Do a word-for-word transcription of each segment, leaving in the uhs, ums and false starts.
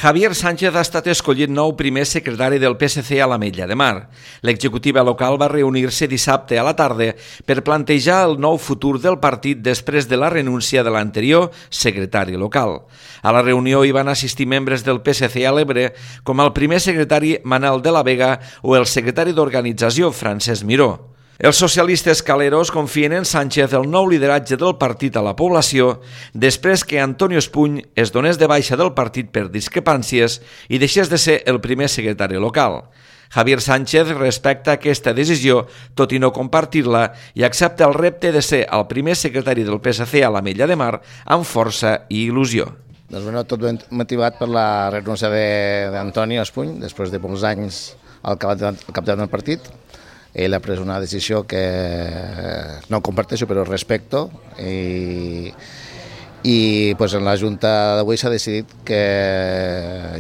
Javier Sánchez ha estat escollit nou primer secretari del P S C a l'Ametlla de Mar. L'executiva local va reunir-se dissabte a la tarda per plantejar el nou futur del partit després de la renúncia de l'anterior secretari local. A la reunió hi van assistir membres del P S C a l'Ebre, com el primer secretari Manel de la Vega o el secretari d'organització Francesc Miró. Els socialistes caleros confien en Sánchez el nou lideratge del partit a la població després que Antonio Espuny es donés de baixa del partit per discrepàncies i deixés de ser el primer secretari local. Javier Sánchez respecta aquesta decisió, tot i no compartir-la, i accepta el repte de ser el primer secretari del P S C a l'Ametlla de Mar amb força i il·lusió. Doncs bueno, tot ben motivat per la renúncia d'Antonio Espuny, després de molts anys al capdavant del partit. Ell ha pres una decisió que no comparteixo però respecto i, i pues, en la Junta d'avui s'ha decidit que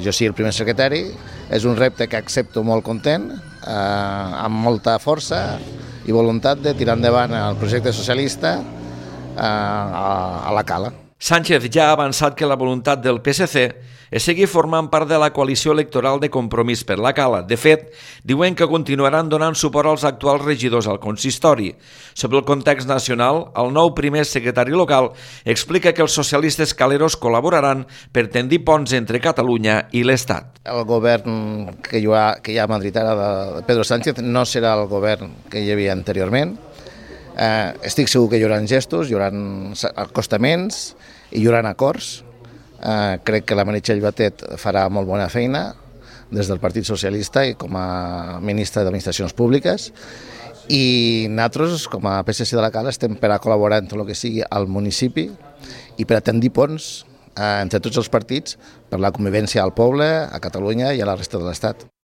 jo sigui el primer secretari. És un repte que accepto molt content, eh, amb molta força i voluntat de tirar endavant el projecte socialista eh, a, a la Cala. Sánchez ja ha avançat que la voluntat del P S C és seguir formant part de la coalició electoral de Compromís per la Cala. De fet, diuen que continuaran donant suport als actuals regidors al consistori. Sobre el context nacional, el nou primer secretari local explica que els socialistes caleros col·laboraran per tendir ponts entre Catalunya i l'Estat. El govern que hi ha, que hi ha a Madrid ara de Pedro Sánchez no serà el govern que hi havia anteriorment. Eh, estic segur que hi haurà gestos, hi haurà acostaments i hi haurà acords. Eh, crec que la Meritxell Batet farà molt bona feina des del Partit Socialista i com a ministra d'Administracions Públiques, i nosaltres, com a P S C de la Cala, estem per a col·laborar en tot el que sigui al municipi i per a tendir ponts eh, entre tots els partits per la convivència al poble, a Catalunya i a la resta de l'Estat.